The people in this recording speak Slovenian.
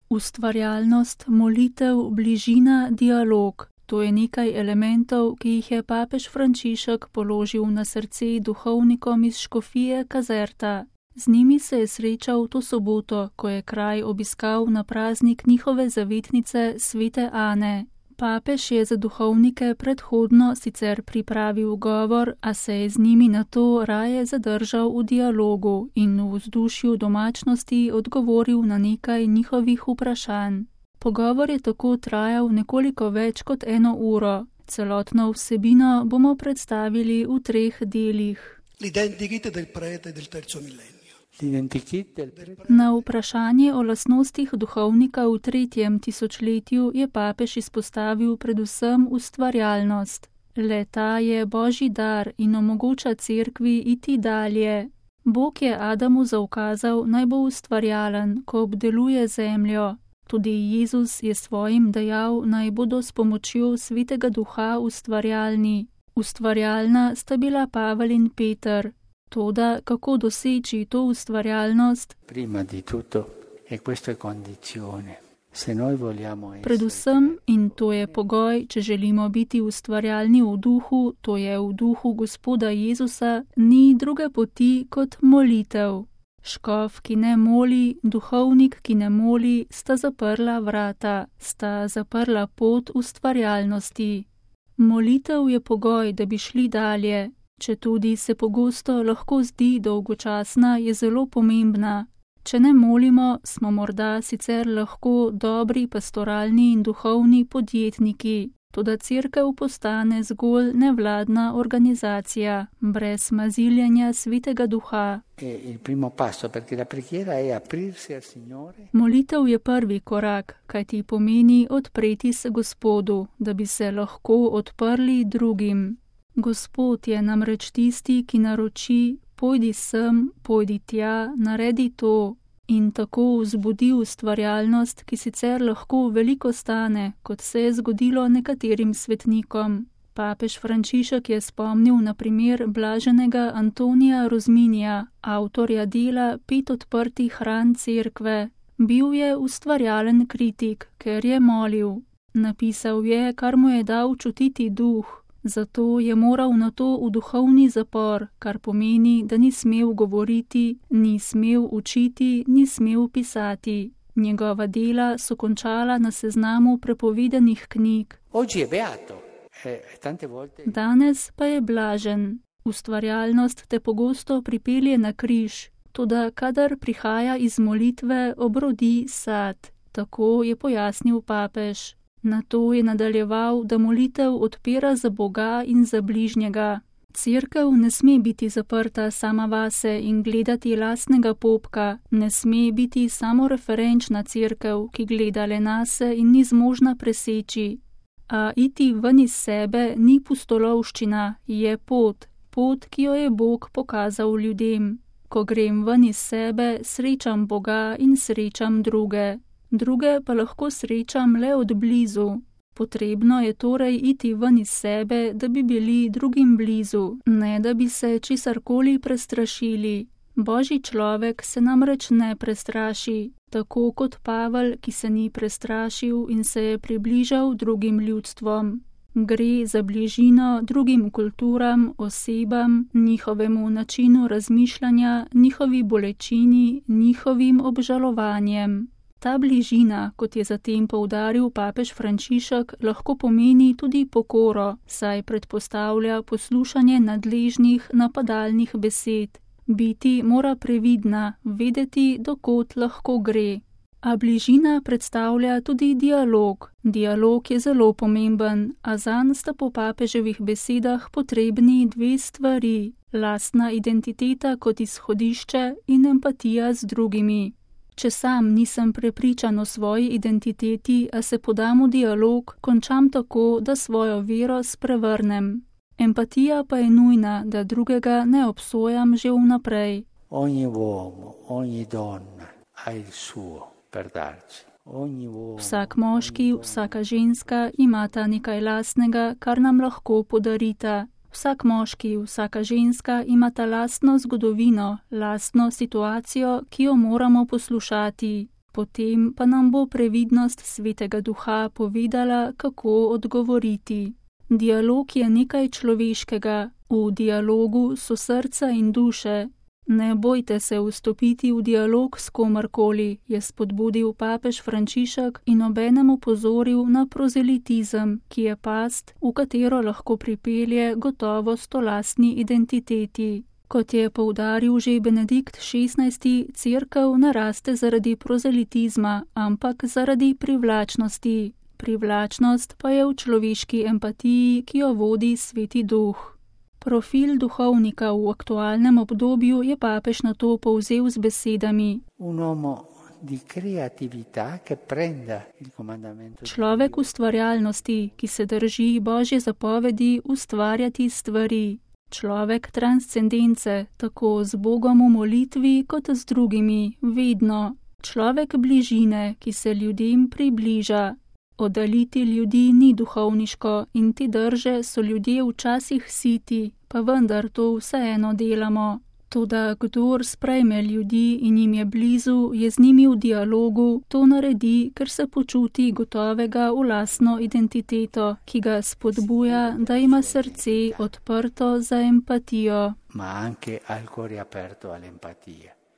Ustvarjalnost, molitev, bližina, dialog. To je nekaj elementov, ki jih je papež Frančišek položil na srce duhovnikom iz škofije Caserta. Z njimi se je srečal to soboto, ko je kraj obiskal na praznik njihove zavetnice svete Ane. Papež je za duhovnike predhodno sicer pripravil govor, a se je z njimi nato raje zadržal v dialogu in v vzdušju domačnosti odgovoril na nekaj njihovih vprašanj. Pogovor je tako trajal nekoliko več kot 1 uro. Celotno vsebino bomo predstavili v 3 delih. L'identikit del prete del terzo millennio. Na vprašanje o lastnostih duhovnika v 3. tisočletju je papež izpostavil predvsem ustvarjalnost. Le-ta je božji dar in omogoča cerkvi iti dalje. Bog je Adamu zaukazal, naj bo ustvarjalen, ko obdeluje zemljo. Tudi Jezus je svojim dejal, naj bodo s pomočjo svetega duha ustvarjalni. Ustvarjalna sta bila Pavel in Peter. Toda kako doseči to ustvarjalnost? Predvsem, in to je pogoj, če želimo biti ustvarjalni v duhu, to je v duhu Gospoda Jezusa, ni druge poti kot molitev. Škof, ki ne moli, duhovnik, ki ne moli, sta zaprla vrata, sta zaprla pot ustvarjalnosti. Molitev je pogoj, da bi šli dalje. Četudi se pogosto lahko zdi dolgočasna, je zelo pomembna. Če ne molimo, smo morda sicer lahko dobri pastoralni in duhovni podjetniki, toda cerkev postane zgolj nevladna organizacija, brez maziljenja svetega duha. Molitev je prvi korak, kajti pomeni odpreti se Gospodu, da bi se lahko odprli drugim. Gospod je namreč tisti, ki naroči, pojdi sem, pojdi tja, naredi to, in tako vzbudi ustvarjalnost, ki sicer lahko veliko stane, kot se je zgodilo nekaterim svetnikom. Papež Frančišek je spomnil na primer blaženega Antonija Rozminija, avtorja dela 5 odprtih ran cerkve. Bil je ustvarjalen kritik, ker je molil. Napisal je, kar mu je dal čutiti duh. Zato je moral nato v duhovni zapor, kar pomeni, da ni smel govoriti, ni smel učiti, ni smel pisati. Njegova dela so končala na seznamu prepovedanih knjig. Danes pa je blažen. Ustvarjalnost te pogosto pripelje na križ, toda kadar prihaja iz molitve, obrodi sad. Tako je pojasnil papež. Nato je nadaljeval, da molitev odpira za Boga in za bližnjega. Cerkev ne sme biti zaprta sama vase in gledati lastnega popka, ne sme biti samoreferenčna cerkev, ki gleda le nase in ni zmožna preseči. A iti ven iz sebe ni pustolovščina, je pot, ki jo je Bog pokazal ljudem. Ko grem ven iz sebe, srečam Boga in srečam druge. Druge pa lahko srečam le od blizu. Potrebno je torej iti ven iz sebe, da bi bili drugim blizu, ne da bi se česarkoli prestrašili. Božji človek se namreč ne prestraši, tako kot Pavel, ki se ni prestrašil in se je približal drugim ljudstvom. Gre za bližino drugim kulturam, osebam, njihovemu načinu razmišljanja, njihovi bolečini, njihovim obžalovanjem. Ta bližina, kot je zatem poudaril papež Frančišek, lahko pomeni tudi pokoro, saj predpostavlja poslušanje nadležnih napadalnih besed. Biti mora previdna, vedeti, do kod lahko gre. A bližina predstavlja tudi dialog. Dialog je zelo pomemben, a zanj sta po papeževih besedah potrebni 2 stvari: lastna identiteta kot izhodišče in empatija z drugimi. Če sam nisem prepričan o svoji identiteti, a se podam v dialog, končam tako, da svojo vero sprevrnem. Empatija pa je nujna, da drugega ne obsojam že vnaprej. Vsak moški, vsaka ženska imata nekaj lastnega, kar nam lahko podarita. Vsak moški, vsaka ženska imata lastno zgodovino, lastno situacijo, ki jo moramo poslušati. Potem pa nam bo previdnost Svetega Duha povedala, kako odgovoriti. Dialog je nekaj človeškega, v dialogu so srca in duše. Ne bojte se vstopiti v dialog s komarkoli, je spodbudil papež Frančišek in obenem opozoril na prozelitizem, ki je past, v katero lahko pripelje gotovost o lastni identiteti. Kot je poudaril že Benedikt XVI, cerkev ne raste zaradi prozelitizma, ampak zaradi privlačnosti. Privlačnost pa je v človeški empatiji, ki jo vodi Sveti Duh. Profil duhovnika v aktualnem obdobju je papež nato povzel z besedami: Človek ustvarjalnosti, ki se drži Božje zapovedi ustvarjati stvari. Človek transcendence, tako z Bogom v molitvi kot z drugimi, vedno. Človek bližine, ki se ljudem približa. Oddaljiti ljudi ni duhovniško in te drže so ljudje včasih siti, pa vendar to vseeno delamo. Toda kdor sprejme ljudi in jim je blizu, je z njimi v dialogu, to naredi, ker se počuti gotovega v lastno identiteto, ki ga spodbuja, da ima srce odprto za empatijo. Ma anche al cuore aperto all'empatia.